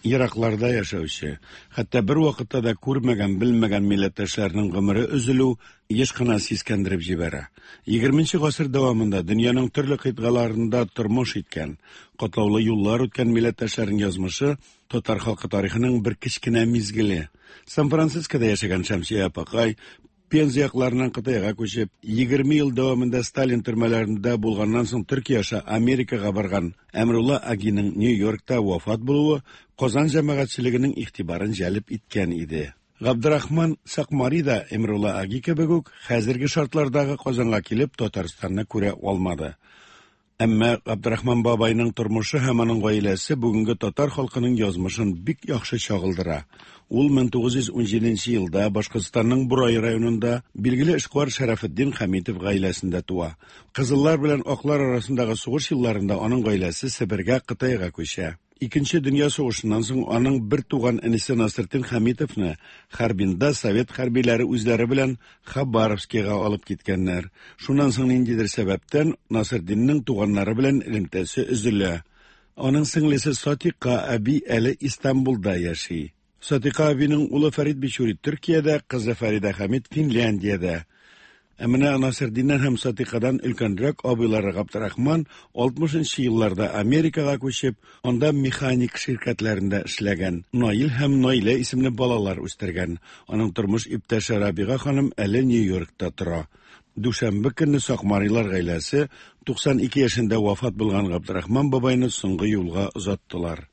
Еракларда яшәүче, хәтта бервакытта да күрмәгән, белмәгән милләттәшләрнең гомере өзелү еш кына сискәндереп җибәрә. Егерменче гасыр дәвамында дөньяның төрле кыйтгаларында тормыш иткән, катлаулы юллар үткән милләттәшләрнең язмышы татар халкы тарихының бер кечкенә мизгеле. Сан-Францискода яшәгән Шәмсия апакай Пенза якларыннан Кытайга күчеп, 20 ел дәвамында Сталин төрмәләрендә булганнан соң Төркия аша Америкага барган Әмрулла Агиның Нью-Йоркта вафат булуы Казан җәмәгатьчелегенең игътибарын җәлеп иткән иде. Габдрахман Сакмари да Эмрулла Аги кебек үк хәзерге шартлардагы Казанга килеп Татарстанны күрә алмады. Әмма Габдрахман бабайның тормышы һәм аның гаиләсе бүгенге татар халкының язмышын бик яхшы чагылдыра. Ул 1917 елда Башкортстанның Бурай районында билгеле эшкуар Шәрәфетдин Хәмитов гаиләсендә туа. Кызыллар белән аклар арасындагы сугыш елларында аның гаиләсе Себергә, Кытайга күчә. Икенче дөнья сугышыннан соң аның бер туган энесе Насретдин Хәмитовны Харбинда совет хәрбиләре үзләре белән Хабаровскига алып киткәннәр. Шуннан соң ниндидер сәбәптән Насретдиннең туганнары белән элемтәсе өзелә. Аның сеңлесе Сатика әби әле Истанбулда яши. Сатика әбинең улы Фәрит Бичури Төркиядә, кызы Фәридә Хәмит Финляндиядә. Ә менә Насретдиннән һәм Сатикадан өлкәнрәк абыйлары Габдрахман 60 нчы елларда Америкага күчеп, анда механик ширкәтләрендә эшләгән. Наил һәм Наилә исемле балалар үстергән. Аның тормыш иптәше Рабига ханым әле Нью-Йоркта тора. Дүшәмбе көнне Сакмарилар гаиләсе 92 яшендә вафат булган Габдрахман бабайны соңгы юлга озаттылар.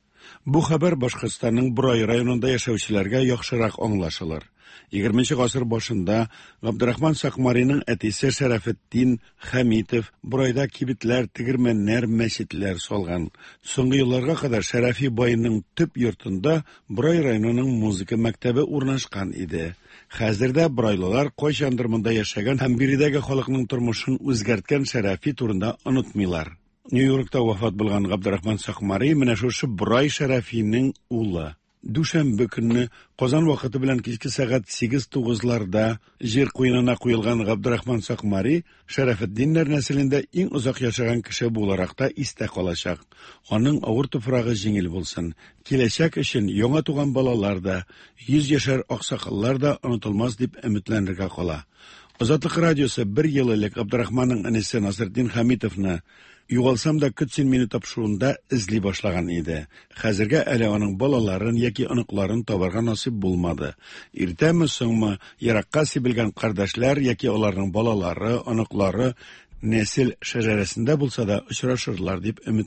Бу хәбәр Башкортстанның Борай районында яшәүчеләргә яхшырак аңлашылыр. Егерменче гасыр башында Габдрахман Сакмариның әтисе Шәрәфетдин Хәмитов Борайда кибетләр, тегермәннәр, мәчетләр салган. Соңгы елларга кадәр Шәрәфи байның төп йортында Борай районының музыка мәктәбе урнашкан иде. Хәзер дә борайлылар кайчандыр монда яшәгән һәм биредәге халыкның тормышын үзгәрткән Шәрәфи турында онытмыйлар. Нью-Йоркта вафат булган Габдрахман Сакмари менә шушы Борай Шәрәфинең улы. Дүшәмбе көнне Казан вакыты белән кичке сәгать сигез-тугызларда җир куенына куелган Габдрахман Сакмари Шәрәфетдиннәр нәселендә иң озак яшәгән кеше буларак та истә калачак. Аның авыр туфрагы җиңел булсын. Киләчәк өчен яңа туган балалар да, йөзьяшәр аксакаллар да онытылмас дип өметләнергә кала. Азатлык радиосы бер ел элек Габдрахманның энесе Насретдин Хәмитовны Югалсам да көт син мине тапшыруында эзли башлаган иде. Хәзергә әле аның балаларын яки оныкларын табарга насыйп булмады. Иртәме, соңмы, еракка сибелгән кардәшләр яки аларның балалары, оныклары нәсел шәҗәрәсендә булса да очрашырлар дип өметләнәбез.